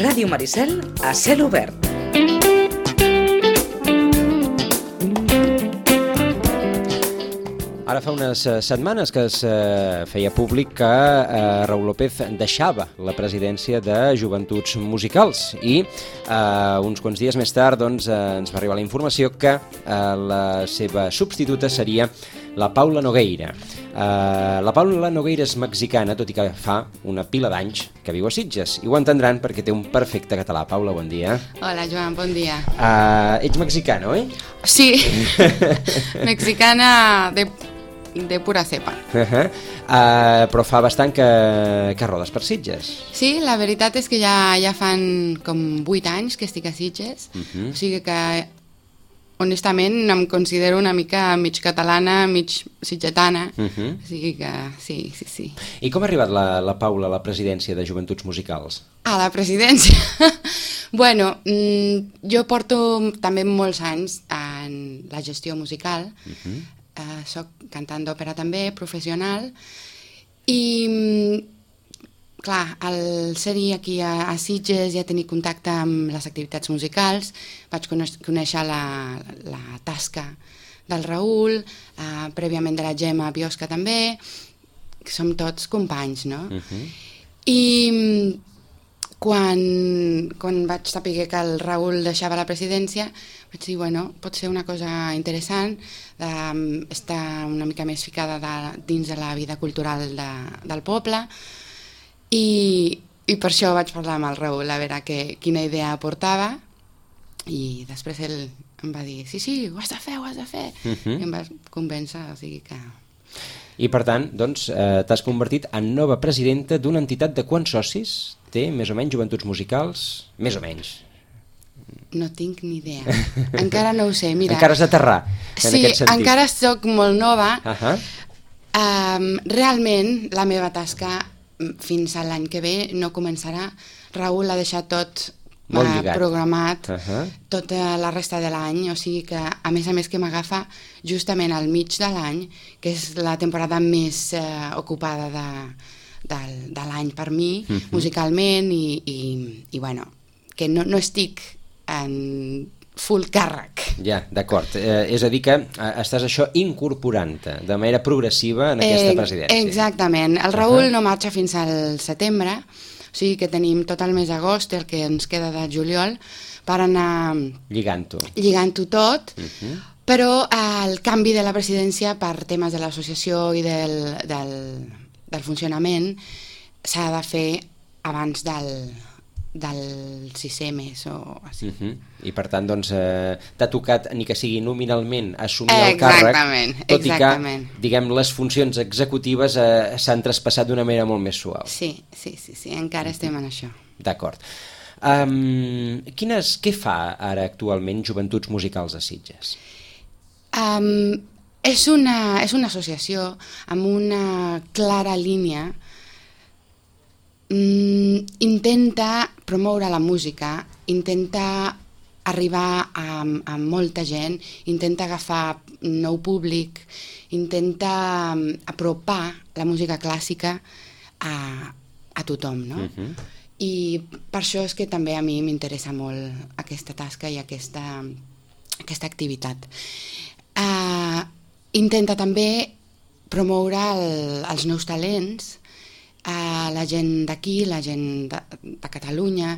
Ràdio Maricel a cel obert. Ara fa unes setmanes que es feia públic que Raúl López deixava la presidència de Joventuts Musicals i uns quants dies més tard ens va arribar la informació que la seva substituta seria la Paula Nogueira. La Paula Nogueira és mexicana, tot i que fa una pila d'anys que viu a Sitges. I ho entendran perquè té un perfecte català. Paula, bon dia. Hola, Joan, bon dia. Ets mexicana, oi? Sí, mexicana de pura cepa. Però fa bastant que rodes per Sitges. Sí, la veritat és que ja fan com 8 anys que estic a Sitges, o sigui que honestament em considero una mica mig catalana, mig sitgetana, o sigui que sí. I com ha arribat la Paula a la presidència de Joventuts Musicals? A la presidència? Bueno, jo porto també molts anys en la gestió musical, soc cantant d'òpera també, professional, i clar, al ser-hi aquí a Sitges ja tenir contacte amb les activitats musicals, vaig conèixer la tasca del Raül, prèviament de la Gemma Biosca també, que som tots companys, no? I quan vaig saber que el Raül deixava la presidència, vaig dir, bueno, pot ser una cosa interessant estar una mica més ficada dins de la vida cultural del poble, i per això vaig parlar amb el Raül a veure quina idea aportava, i després ell em va dir, sí, ho has de fer, i em va convèncer, o sigui que... I per tant, doncs, t'has convertit en nova presidenta d'una entitat de quants socis té, més o menys, Joventuts Musicals? Més o menys. No tinc ni idea. Encara no ho sé, mira. Encara has d'aterrar, en aquest sentit. Sí, encara soc molt nova. Realment, la meva tasca fins a l'any que ve no començarà. Raül ha deixat tot programat, tota la resta de l'any, o sigui que a més que m'agafa justament al mig de l'any, que és la temporada més ocupada de l'any per mi, musicalment, i bueno, que no estic en full càrrec. Ja, d'acord. És a dir que estàs això incorporant-te de manera progressiva en aquesta presidència. Exactament. El Raül no marxa fins al setembre, o sigui que tenim tot el mes d'agost, el que ens queda de juliol, per anar lligant-ho tot, però el canvi de la presidència per temes de l'associació i del funcionament s'ha de fer abans del 6è mes o així. I per tant, doncs, t'ha tocat, ni que sigui nominalment, assumir el càrrec, tot i que, diguem, les funcions executives s'han traspassat d'una manera molt més suau. Sí, encara estem en això. D'acord. Què fa ara actualment Joventuts Musicals a Sitges? És una associació amb una clara línia. Intenta promoure la música, intenta arribar a molta gent, intenta agafar nou públic, intenta apropar la música clàssica a tothom, no? I per això és que també a mi m'interessa molt aquesta tasca i aquesta activitat. Intenta també promoure els nous talents, la gent d'aquí, la gent de Catalunya,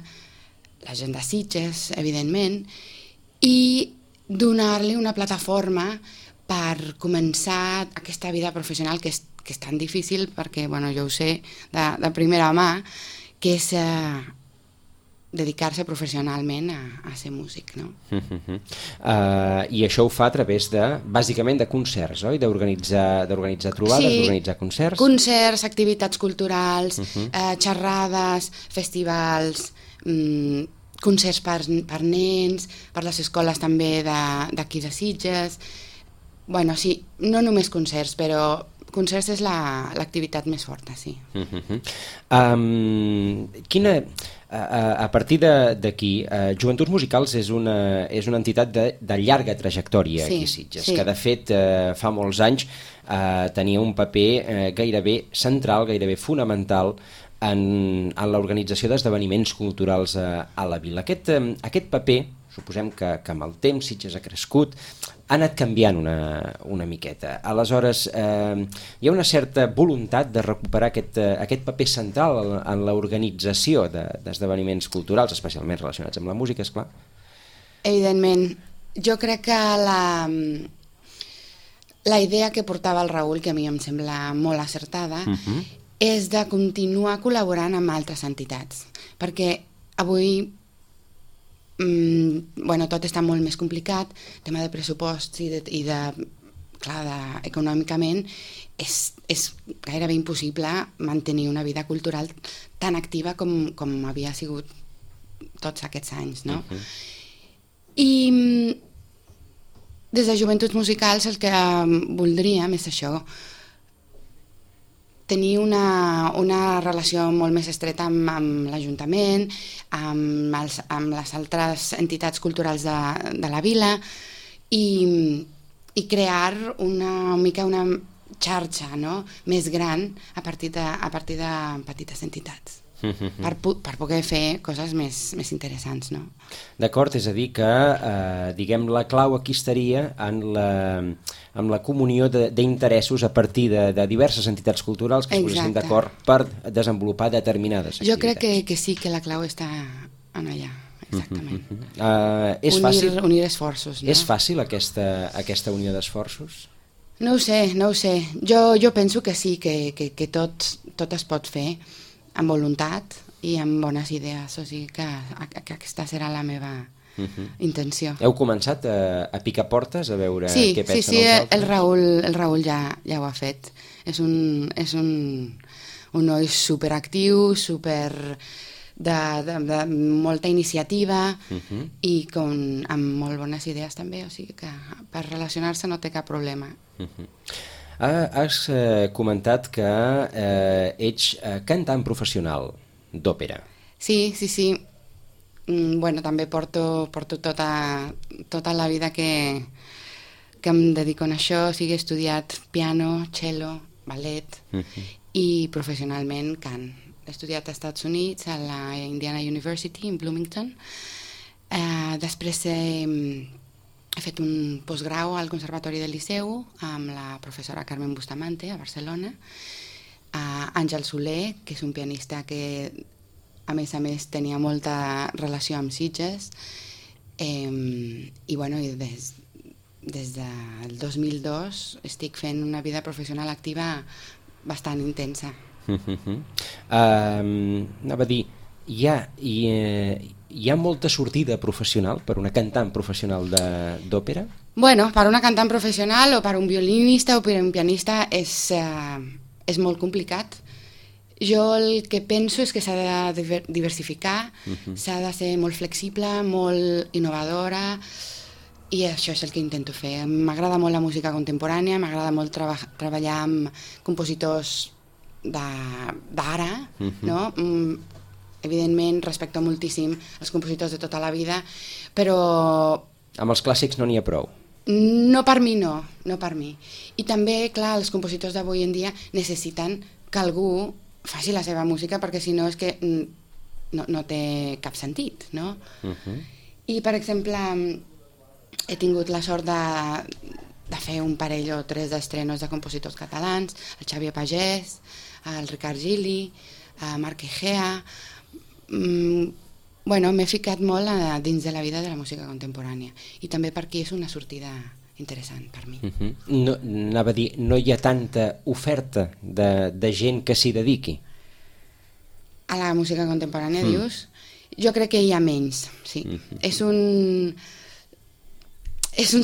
la gent de Sitges, evidentment, i donar-li una plataforma per començar aquesta vida professional que és tan difícil, perquè jo ho sé de primera mà, que és dedicar-se professionalment a ser músic, no? I això ho fa a través bàsicament de concerts, oi? D'organitzar trobades, d'organitzar concerts? Concerts, activitats culturals, xerrades, festivals, concerts per nens, per les escoles també d'aquí de Sitges. Bueno, sí, no només concerts, però concerts és l'activitat més forta, sí. A partir d'aquí, Joventuts Musicals és una entitat de llarga trajectòria aquí a Sitges, que de fet fa molts anys tenia un paper gairebé central, gairebé fonamental en l'organització d'esdeveniments culturals a la vila. Aquest paper, suposem que amb el temps Sitges ha crescut, ha anat canviant una miqueta. Aleshores, hi ha una certa voluntat de recuperar aquest paper central en l'organització d'esdeveniments culturals, especialment relacionats amb la música, esclar. Evidentment. Jo crec que la idea que portava el Raül, que a mi em sembla molt acertada, és de continuar col·laborant amb altres entitats. Perquè avui tot està molt més complicat, tema de pressupost econòmicament és gairebé impossible mantenir una vida cultural tan activa com havia sigut tots aquests anys, no? I des de Joventuts Musicals el que voldríem és això, tenir una relació molt més estreta amb l'Ajuntament, amb les altres entitats culturals de la vila i crear una xarxa, no?, més gran a partir de petites entitats. Per poder fer coses més interessants, no? D'acord, és a dir que, diguem, la clau aquí estaria amb la comunió d'interessos a partir de diverses entitats culturals que es posessin d'acord per desenvolupar determinades activitats. Jo crec que sí, que la clau està en allà, exactament. Unir esforços, no? És fàcil aquesta unió d'esforços? No ho sé. Jo penso que sí, que tot es pot fer amb voluntat i amb bones idees, o sigui que aquesta serà la meva intenció. Heu començat a picar portes, a veure què pensen els altres? Sí, el Raül ja ho ha fet. És un noi superactiu, de molta iniciativa i amb molt bones idees també, o sigui que per relacionar-se no té cap problema. Has comentat que ets cantant professional d'òpera. Sí. També porto tota la vida que em dedico a això, o sigui, he estudiat piano, cello, ballet i professionalment cant. He estudiat als Estats Units, a la Indiana University, in Bloomington. Després he fet un postgrau al Conservatori del Liceu amb la professora Carmen Bustamante a Barcelona, Àngel Soler, que és un pianista que a més tenia molta relació amb Sitges, i des del 2002 estic fent una vida professional activa bastant intensa. Anava a dir, hi ha molta sortida professional per una cantant professional d'òpera? Bueno, per una cantant professional o per un violinista o per un pianista és molt complicat. Jo el que penso és que s'ha de diversificar, s'ha de ser molt flexible, molt innovadora, i això és el que intento fer. M'agrada molt la música contemporània, m'agrada molt treballar amb compositors d'ara, no? Evidentment respecto moltíssim els compositors de tota la vida, però... Amb els clàssics no n'hi ha prou? No per mi, no per mi. I també, clar, els compositors d'avui en dia necessiten que algú faci la seva música, perquè si no és que no té cap sentit, no? I, per exemple, he tingut la sort de fer un parell o tres d'estrenos de compositors catalans, el Xavier Pagès, el Ricard Gili, Marc Egea. M'he ficat molt dins de la vida de la música contemporània i també per aquí és una sortida interessant per mi. Anava a dir, no hi ha tanta oferta de gent que s'hi dediqui? A la música contemporània, dius? Jo crec que hi ha menys, sí. És un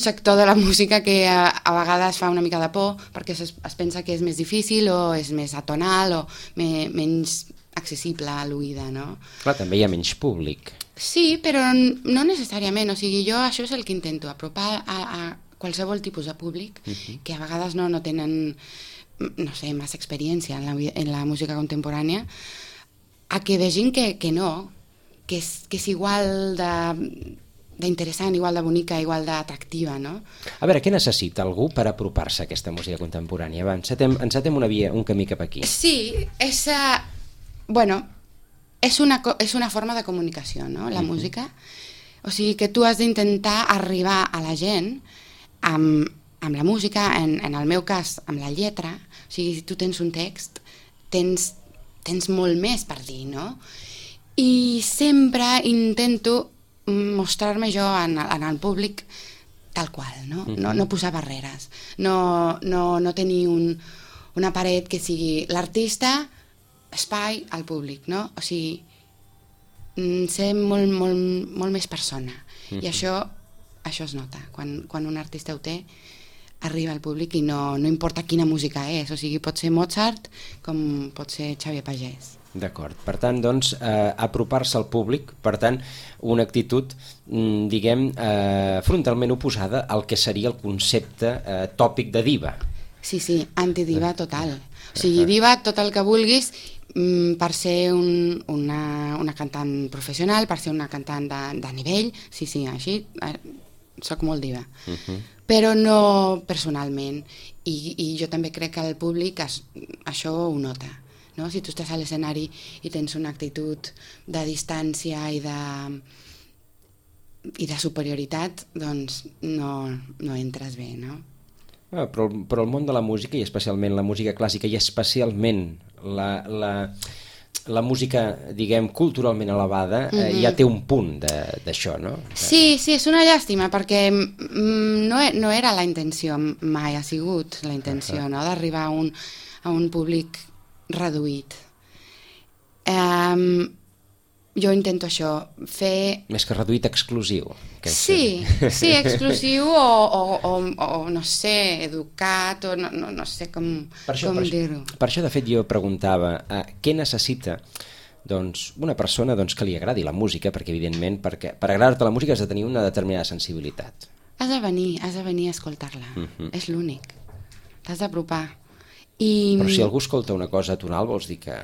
sector de la música que a vegades fa una mica de por perquè es pensa que és més difícil o és més atonal o menys accessible a l'oïda, no? Clar, també hi ha menys públic. Sí, però no necessàriament, o sigui, jo això és el que intento, apropar a qualsevol tipus de públic que a vegades no tenen, no sé, massa experiència en la música contemporània, a que vegin que no, que és igual d'interessant, igual de bonica, igual d'atractiva, no? A veure, què necessita algú per apropar-se a aquesta música contemporània? Va, encetem un camí cap aquí. Sí, és bueno, és una forma de comunicació, no?, la música. O sigui que tu has d'intentar arribar a la gent amb la música, en el meu cas, amb la lletra. O sigui, si tu tens un text, tens molt més per dir, no? I sempre intento mostrar-me jo en el públic tal qual, no? No posar barreres, no tenir una paret que sigui l'artista, espai, al públic, no? O sigui, ser molt més persona. I això es nota. Quan un artista ho té, arriba al públic i no importa quina música és. O sigui, pot ser Mozart com pot ser Xavier Pagès. D'acord. Per tant, doncs, apropar-se al públic, per tant, una actitud, diguem, frontalment oposada al que seria el concepte tòpic de diva. Sí, antidiva total. O sigui, diva, tot el que vulguis, per ser una cantant professional, per ser una cantant de nivell, sí, així, soc molt diva. Però no personalment. I jo també crec que el públic això ho nota. No? Si tu estàs a l'escenari i tens una actitud de distància i de superioritat, doncs no entres bé, no? Però el món de la música, i especialment la música clàssica, i especialment la música, diguem, culturalment elevada, ja té un punt d'això, no? Sí, és una llàstima, perquè no era la intenció, mai ha sigut la intenció, no?, d'arribar a un públic reduït. Jo intento això, fer... Més que reduït, exclusiu. Sí, exclusiu o no sé, educat, o no sé com dir-ho. Per això, de fet, jo preguntava què necessita una persona que li agradi la música, perquè, evidentment, per agradar-te la música has de tenir una determinada sensibilitat. Has de venir a escoltar-la. És l'únic. T'has d'apropar. Però si algú escolta una cosa tonal, vols dir que...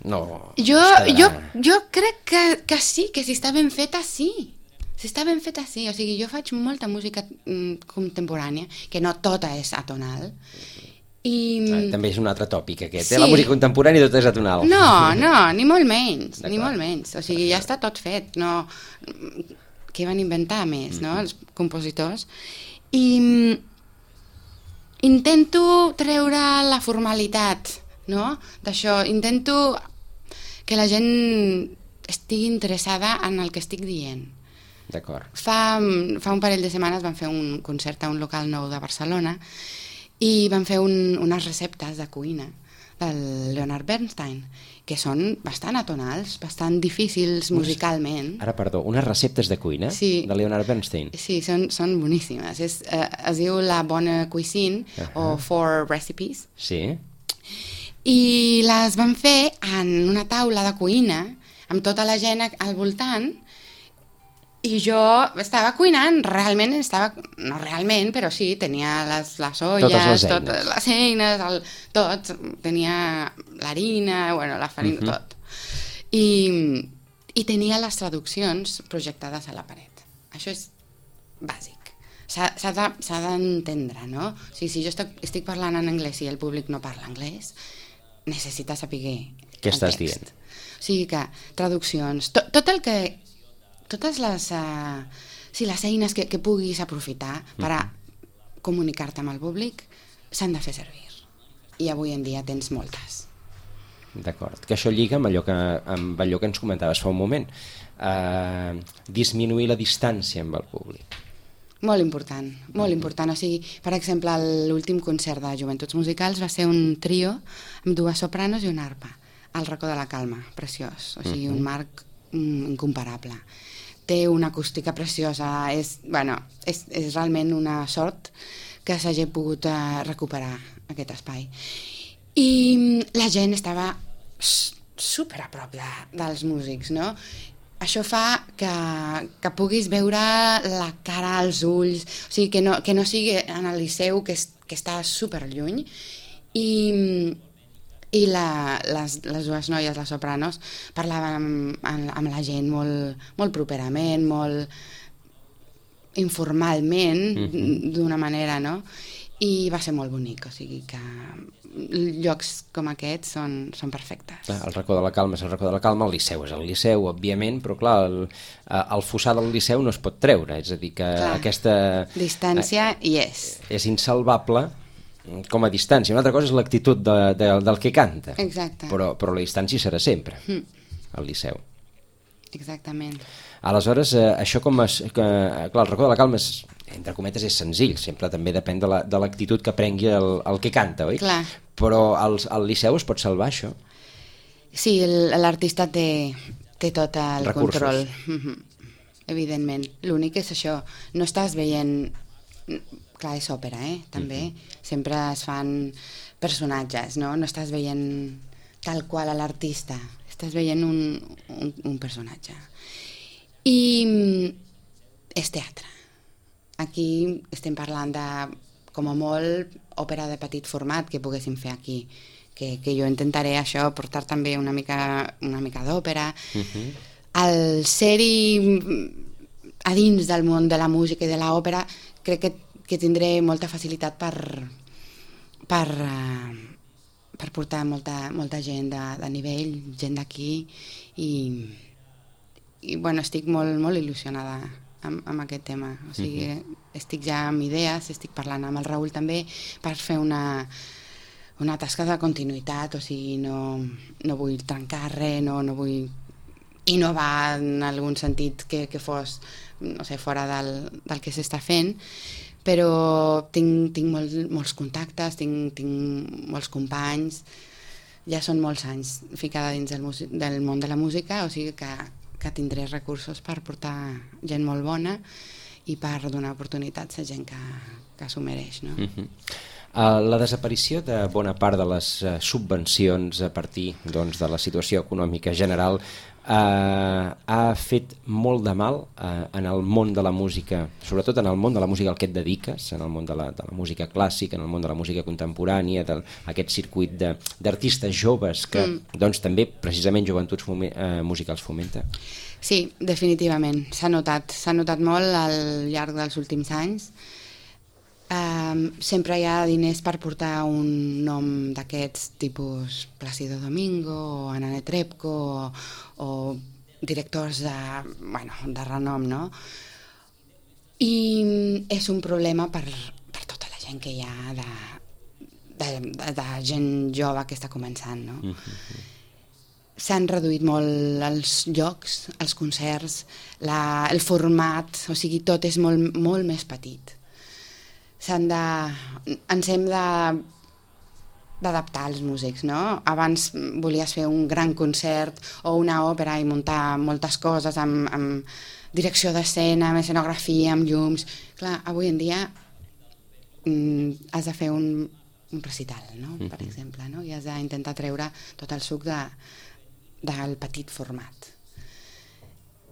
No... Jo crec que sí, que si està ben feta, sí. Si està ben feta, sí. O sigui, jo faig molta música contemporània, que no tota és atonal. També és un altre tòpic, aquest. La música contemporània tot és atonal. No, ni molt menys. Ni molt menys. O sigui, ja està tot fet. Què van inventar més, no?, els compositors. I intento treure la formalitat, no?, d'això. Intento que la gent estigui interessada en el que estic dient. D'acord. Fa un parell de setmanes vam fer un concert a un local nou de Barcelona i vam fer unes receptes de cuina del Leonard Bernstein, que són bastant atonals, bastant difícils musicalment. Ara, perdó, unes receptes de cuina de Leonard Bernstein? Sí, són boníssimes. Es diu La Bonne Cuisine o 4 Recipes. Sí. I les van fer en una taula de cuina amb tota la gent al voltant i jo estava cuinant, no realment, però sí, tenia les olles, totes les eines, tot, tenia l'harina, la farina, tot. I tenia les traduccions projectades a la paret. Això és bàsic. S'ha d'entendre, no? O sigui, si jo estic parlant en anglès i el públic no parla anglès, necessita saber què estàs dient. O sigui que traduccions, tot el que... Totes les eines que puguis aprofitar per a comunicar-te amb el públic s'han de fer servir. I avui en dia tens moltes. D'acord. Que això lliga amb allò que ens comentaves fa un moment. Disminuir la distància amb el públic. Molt important, molt important. O sigui, per exemple, l'últim concert de Joventuts Musicals va ser un trio amb 2 sopranos i una arpa, al Racó de la Calma, preciós. O sigui, un marc incomparable. Té una acústica preciosa, és realment una sort que s'hagi pogut recuperar aquest espai. I la gent estava super a prop dels músics, no? Això fa que puguis veure la cara, els ulls, o sigui, que no sigui en el Liceu, que està super lluny, i les 2 noies, les sopranos, parlaven amb la gent molt properament, molt informalment, d'una manera, no? i va ser molt bonic, o sigui que llocs com aquests són perfectes. El racó de la Calma és el racó de la Calma, el Liceu és el Liceu, òbviament, però clar, el fossar del Liceu no es pot treure, és a dir, que aquesta distància hi és. És insalvable com a distància. Una altra cosa és l'actitud del que canta. Exacte. Però la distància serà sempre, al Liceu. Exactament. Aleshores, això clar, el racó de la Calma és, entre cometes, és senzill, sempre també depèn de l'actitud que prengui el que canta, oi? Clar. Però al Liceu es pot salvar, això? Sí, l'artista té tot el recursos. Control. Evidentment. L'únic és això, no estàs veient... Clar, és òpera, també. Sempre es fan personatges, no? No estàs veient tal qual a l'artista, estàs veient un personatge. I és teatre. Aquí estem parlant de, com a molt, òpera de petit format que poguéssim fer aquí, que jo intentaré això, portar també una mica d'òpera. Al ser-hi a dins del món de la música i de l'òpera, crec que tindré molta facilitat per portar molta gent de nivell, gent d'aquí, i bueno, estic molt il·lusionada amb aquest tema. O sigui, estic ja amb idees, estic parlant amb el Raül també per fer una tasca de continuïtat, o sigui, no vull trencar res, no vull innovar en algun sentit que fos, no sé, fora del que s'està fent, però tinc molts contactes, tinc molts companys, ja són molts anys ficada dins del món de la música, o sigui que tindré recursos per portar gent molt bona i per donar oportunitats a gent que s'ho mereix, no? La desaparició de bona part de les subvencions a partir de la situació econòmica general ha fet molt de mal en el món de la música, sobretot en el món de la música al que et dediques, en el món de la música clàssica, en el món de la música contemporània, aquest circuit d'artistes joves que també precisament Joventuts Musicals fomenta. Sí, definitivament, s'ha notat molt al llarg dels últims anys. Sempre hi ha diners per portar un nom d'aquests tipus Plácido Domingo o Ana Netrebko o directors de renom, no? I és un problema per tota la gent que hi ha de gent jove que està començant, no? S'han reduït molt els llocs, els concerts, el format, o sigui, tot és molt més petit. Ens hem d'adaptar als músics, no? Abans volies fer un gran concert o una òpera i muntar moltes coses amb direcció d'escena, amb escenografia, amb llums. Clar, avui en dia has de fer un recital, no? Per exemple, no? I has d'intentar treure tot el suc del petit format.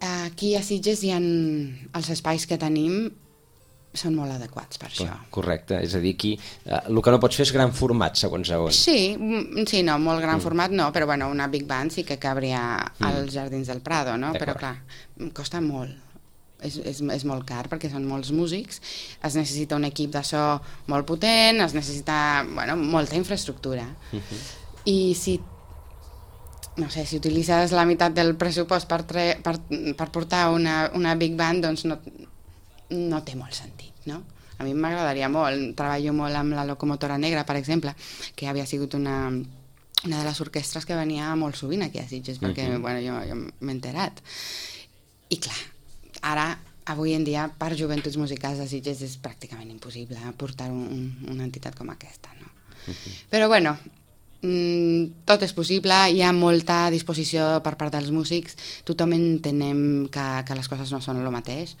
Aquí a Sitges els espais que tenim són molt adequats per això. Correcte, és a dir, aquí el que no pots fer és gran format, segons on. Sí, no, molt gran format no, però bueno, una big band sí que cabria als Jardins del Prado, no? Però clar, costa molt, és molt car perquè són molts músics, es necessita un equip de so molt potent, es necessita, molta infraestructura. I si utilitzes la meitat del pressupost per portar una big band, doncs no té molt sentit, no? A mi m'agradaria molt, treballo molt amb la Locomotora Negra, per exemple, que havia sigut una de les orquestres que venia molt sovint aquí a Sitges, perquè jo m'he enterat. I clar, ara, avui en dia, per Joventuts Musicals de Sitges és pràcticament impossible portar una entitat com aquesta, no? Però tot és possible, hi ha molta disposició per part dels músics, tothom entenem que les coses no són el mateix,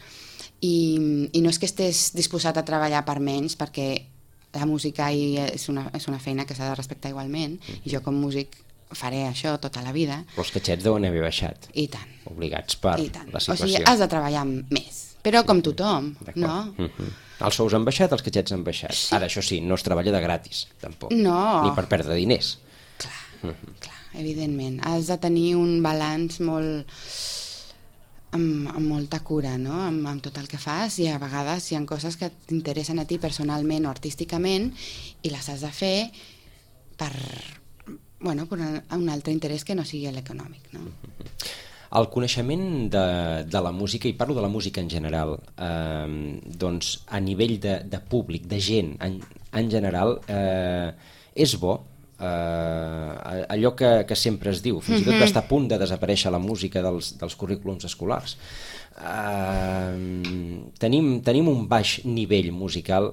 i no és que estés disposat a treballar per menys, perquè la música és una feina que s'ha de respectar igualment, i jo com músic faré això tota la vida. Però els catxets deuen haver baixat. I tant. Obligats per la situació. O sigui, has de treballar més, però com tothom, no? Els sous han baixat, els catxets han baixat. Sí. Ara, això sí, no es treballa de gratis, tampoc. No. Ni per perdre diners. Clar, evidentment. Has de tenir un balanç molt amb molta cura, no? Amb tot el que fas, i a vegades hi ha coses que t'interessen a ti personalment o artísticament i les has de fer per un altre interès que no sigui l'econòmic, no? El coneixement de la música, i parlo de la música en general, doncs a nivell de públic, de gent en general, és bo. Allò que sempre es diu, fins i tot està a punt de desaparèixer la música dels currículums escolars. Tenim un baix nivell musical,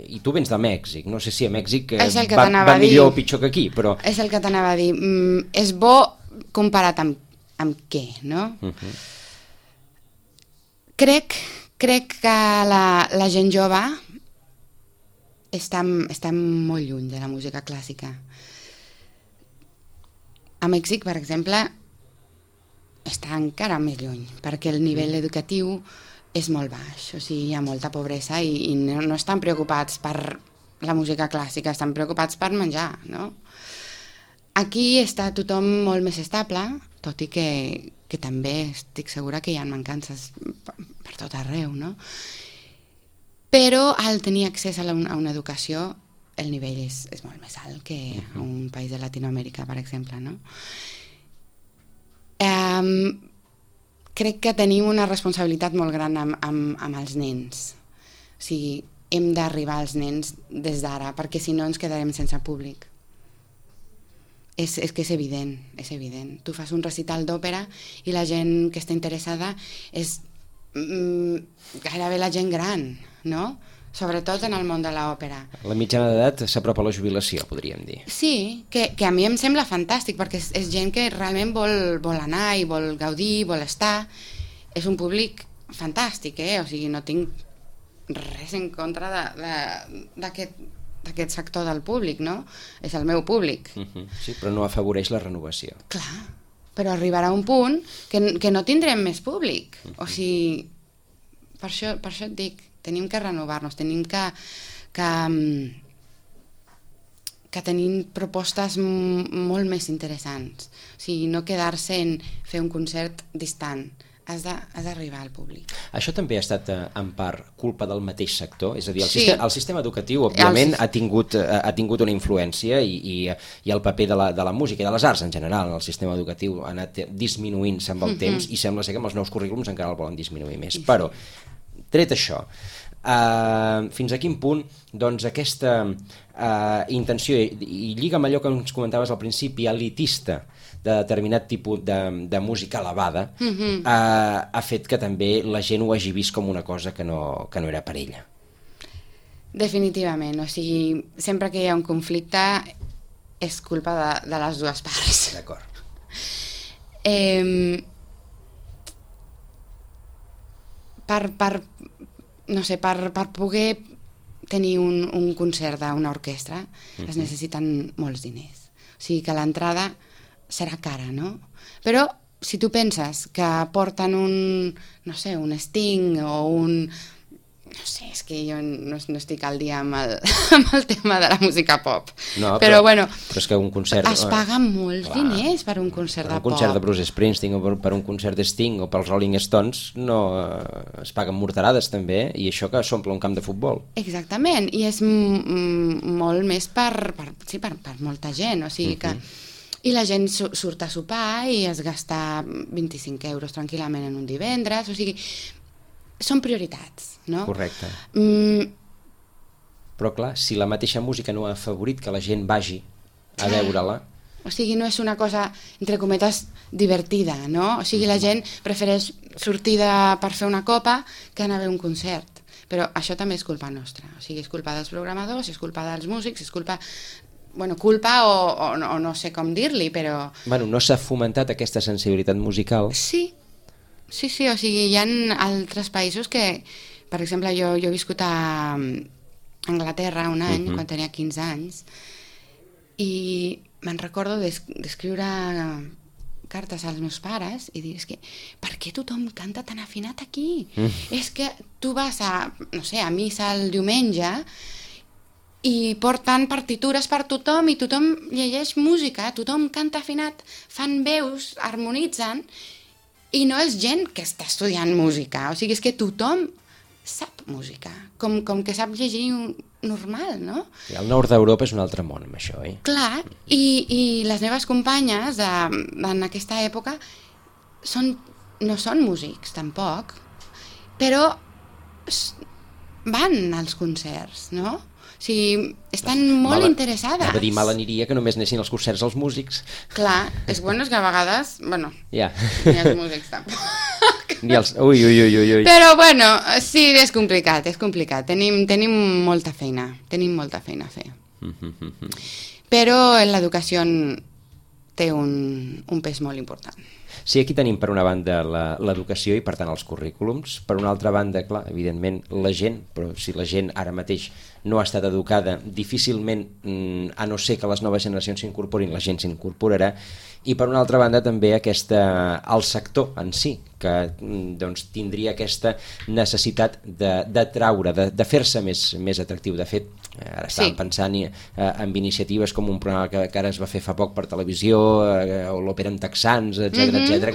i tu vens de Mèxic, no sé si a Mèxic va millor o pitjor que aquí, però... És el que t'anava a dir, és bo comparat amb què, no? Crec que la gent jove està molt lluny de la música clàssica. A Mèxic, per exemple, està encara més lluny, perquè el nivell educatiu és molt baix, o sigui, hi ha molta pobresa i no estan preocupats per la música clàssica, estan preocupats per menjar, no? Aquí està tothom molt més estable, tot i que també estic segura que hi ha mancances per tot arreu, no? Però al tenir accés a una educació, el nivell és molt més alt que a un país de Latinoamèrica, per exemple, no? Crec que tenim una responsabilitat molt gran amb els nens. O sigui, hem d'arribar als nens des d'ara, perquè si no ens quedarem sense públic. És que és evident, és evident. Tu fas un recital d'òpera i la gent que està interessada és gairebé la gent gran, no? Sobretot en el món de l'òpera. La mitjana d'edat s'apropa a la jubilació, podríem dir. Sí, que a mi em sembla fantàstic, perquè és gent que realment vol anar i vol gaudir, vol estar. És un públic fantàstic, o sigui, no tinc res en contra d'aquest sector del públic, no? És el meu públic. Sí, però no afavoreix la renovació. Clar, però arribarà un punt que no tindrem més públic. O sigui, per això et dic, tenim que renovar-nos, tenim que tenir propostes molt més interessants. O sigui, no quedar-se en fer un concert distant. Has d'arribar al públic. Això també ha estat en part culpa del mateix sector? És a dir, el sistema educatiu, òbviament, ha tingut una influència i el paper de la música i de les arts en general en el sistema educatiu ha anat disminuint-se amb el temps i sembla ser que amb els nous currículums encara el volen disminuir més. Però, tret això, fins a quin punt doncs, aquesta intenció, i lliga amb allò que ens comentaves al principi, elitista, de determinat tipus de música elevada, ha fet que també la gent ho hagi vist com una cosa que no era per ella. Definitivament, o sigui, sempre que hi ha un conflicte és culpa de les dues parts. D'acord. Per poder tenir un concert d'una orquestra es necessiten molts diners. O sigui que l'entrada serà cara, no? Però si tu penses que porten un Sting o un... No sé, és que jo no estic al dia amb el tema de la música pop. No, però bueno, és que un concert... Es paguen molts diners per un concert de pop. Per un concert de Bruce Springsteen o per un concert de Sting o pels Rolling Stones no es paguen morterades també, i això que s'omple un camp de futbol. Exactament, i és molt més per molta gent, o sigui que... I la gent surt a sopar i es gasta 25 euros tranquil·lament en un divendres, o sigui, són prioritats, no? Correcte. Però clar, si la mateixa música no ha afavorit que la gent vagi a veure-la... O sigui, no és una cosa, entre cometes, divertida, no? O sigui, la gent prefereix sortir per fer una copa que anar a veure un concert. Però això també és culpa nostra, o sigui, és culpa dels programadors, és culpa dels músics, és culpa... culpa o no sé com dir-li, però... No s'ha fomentat aquesta sensibilitat musical? Sí, o sigui, hi ha altres països que, per exemple, jo he viscut a Anglaterra un any, quan tenia 15 anys, i me'n recordo d'escriure cartes als meus pares i dir, és que, per què tothom canta tan afinat aquí? És que tu vas a missa el diumenge i porten partitures per tothom i tothom llegeix música, tothom canta afinat, fan veus, harmonitzen I no és gent que està estudiant música, o sigui, és que tothom sap música, com que sap llegir normal, no? I el nord d'Europa és un altre món, amb això, Clar, i les meves companyes en aquesta època no són músics, tampoc, però van als concerts, no? O sigui, estan molt interessades. Anava a dir, mal aniria que només anessin als concerts els músics. Clar, és que a vegades, bueno, Ja. ni els músics tampoc. Ni els... Ui. Però bueno, sí, és complicat. Tenim molta feina a fer. Però l'educació té un pes molt important. Sí, aquí tenim per una banda l'educació i per tant els currículums, per una altra banda, clar, evidentment la gent, però si la gent ara mateix no ha estat educada, difícilment, a no ser que les noves generacions s'incorporin, la gent s'incorporarà, i per una altra banda també el sector en si, que doncs, tindria aquesta necessitat d'atraure, de fer-se més atractiu. De fet, ara estàvem pensant en iniciatives com un programa que ara es va fer fa poc per televisió, o l'òpera en texans, etc,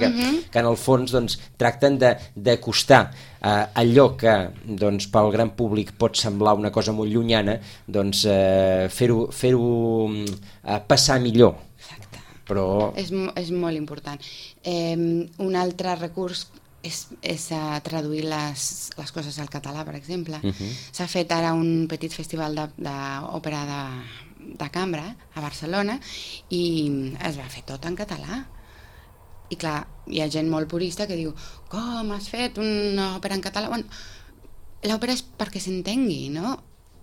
que en el fons doncs, tracten d'acostar allò que doncs, pel gran públic pot semblar una cosa molt llunyana, doncs, fer-ho passar millor. Però... És molt important. Un altre recurs és traduir les coses al català, per exemple. S'ha fet ara un petit festival d'òpera de cambra a Barcelona i es va fer tot en català. I clar, hi ha gent molt purista que diu, com has fet una òpera en català? Bueno, l'òpera és perquè s'entengui, no?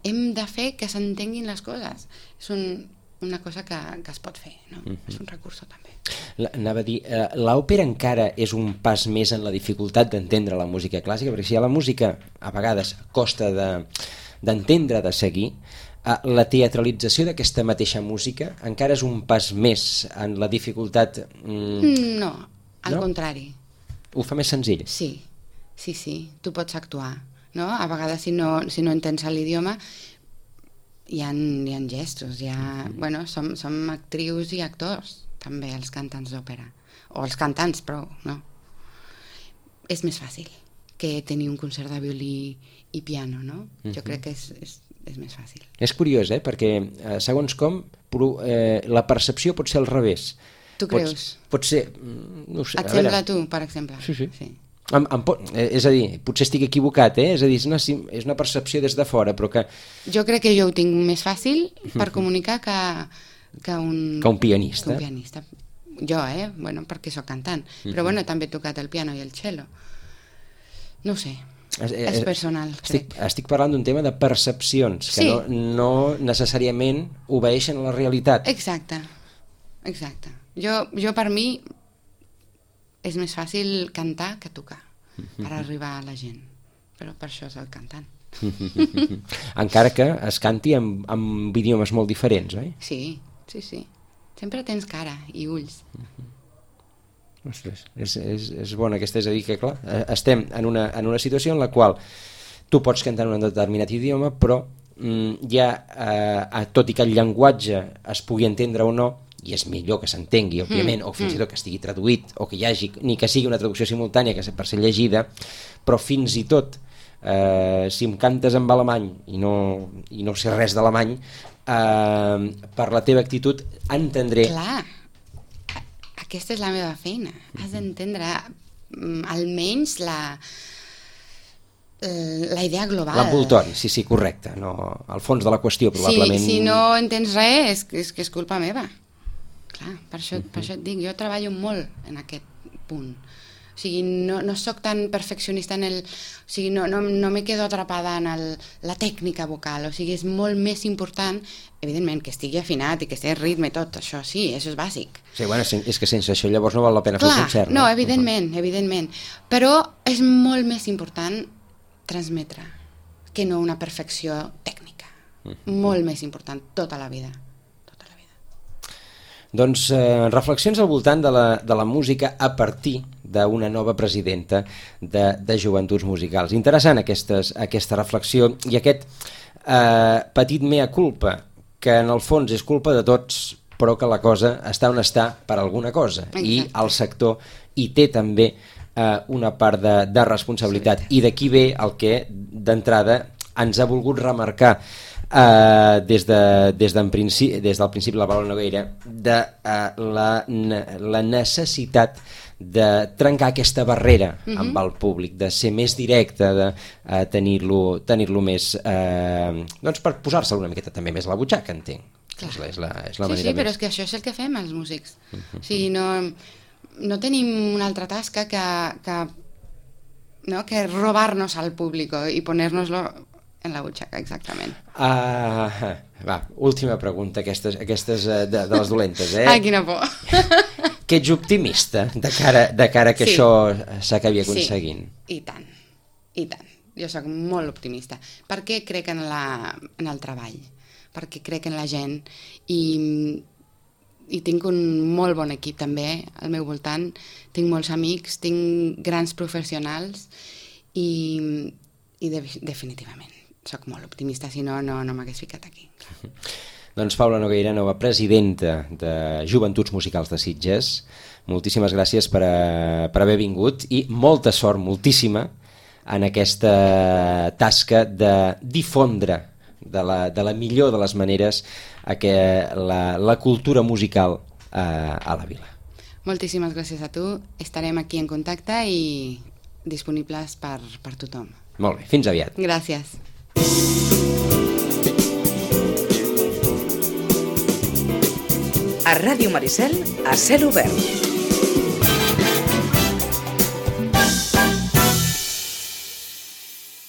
Hem de fer que s'entenguin les coses. És una cosa que es pot fer, no? És un recurs també. Anava a dir, l'òpera encara és un pas més en la dificultat d'entendre la música clàssica, perquè si la música a vegades costa d'entendre, de seguir, la teatralització d'aquesta mateixa música encara és un pas més en la dificultat... No, al contrari. Ho fa més senzill? Sí, tu pots actuar, no? A vegades si no entens l'idioma hi ha gestos, bueno, som actrius i actors, també els cantants d'òpera, o els cantants, però no. És més fàcil que tenir un concert de violí i piano, no? Jo crec que és més fàcil. És curiós, perquè segons com la percepció pot ser al revés. Tu creus? Pot ser... No sé, et sembla tu, per exemple? Sí. És a dir, potser estic equivocat, és a dir, és una percepció des de fora, però que... Jo crec que jo ho tinc més fàcil per comunicar que un pianista. Jo, bueno, perquè sóc cantant, però bueno, també he tocat el piano i el cello. No ho sé, és personal, crec. Estic parlant d'un tema de percepcions, que no necessàriament obeeixen a la realitat. Exacte. Jo per mi és més fàcil cantar que tocar per arribar a la gent, però per això soc cantant. Encara que es canti amb idiomes molt diferents, oi? Sí. Sempre tens cara i ulls. Ostres, és bona aquesta, és a dir que clar, estem en una situació en la qual tu pots cantar en un determinat idioma, però tot i que el llenguatge es pugui entendre o no, i és millor que s'entengui, òbviament, o fins i tot que estigui traduït, o que hi hagi, ni que sigui una traducció simultània que per ser llegida, però fins i tot si em cantes en alemany i no sé res d'alemany, per la teva actitud entendré. Clar, aquesta és la meva feina, has d'entendre almenys la idea global. L'envoltori, sí, correcte, no, al fons de la qüestió probablement... Si no entens res és que és culpa meva. Clar, per això et dic, jo treballo molt en aquest punt. O sigui, no soc tan perfeccionista o sigui, no me quedo atrapada en la tècnica vocal, o sigui, és molt més important, evidentment, que estigui afinat i que estigui ritme i tot, això sí, això és bàsic. Sí, bueno, és que sense això llavors no val la pena fer un concert. No, evidentment, però és molt més important transmetre que no una perfecció tècnica. Molt més important, tota la vida. Doncs reflexions al voltant de la música a partir d'una nova presidenta de Joventuts Musicals. Interessant aquesta reflexió i aquest petit mea culpa, que en el fons és culpa de tots, però que la cosa està on està per alguna cosa. Exacte. I el sector hi té també una part de responsabilitat, i d'aquí ve el que d'entrada ens ha volgut remarcar des del principi la Paula Nogueira, de la necessitat de trencar aquesta barrera amb el públic, de ser més directe, de tenir-lo més doncs per posar-se una miqueta també més a la butxaca, entenc. És la manera sí, però és que això és el que fem els músics. O sigui, no tenim una altra tasca que robar-nos al públic i poner-nos-lo en la butxaca, exactament. Última pregunta, aquestes de les dolentes, Ai, quina por. Que ets optimista de cara que això s'acabi aconseguint. Sí, i tant. Jo sóc molt optimista, perquè crec en el treball, perquè crec en la gent, i tinc un molt bon equip també al meu voltant, tinc molts amics, tinc grans professionals, i definitivament soc molt optimista, si no m'hagués ficat aquí. Doncs Paula Nogueira, nova presidenta de Joventuts Musicals de Sitges, moltíssimes gràcies per haver vingut i molta sort, moltíssima, en aquesta tasca de difondre de la millor de les maneres la cultura musical a la vila. Moltíssimes gràcies a tu, estarem aquí en contacte i disponibles per tothom. Molt bé, fins aviat. Gràcies. A Ràdio Maricel, a cel obert.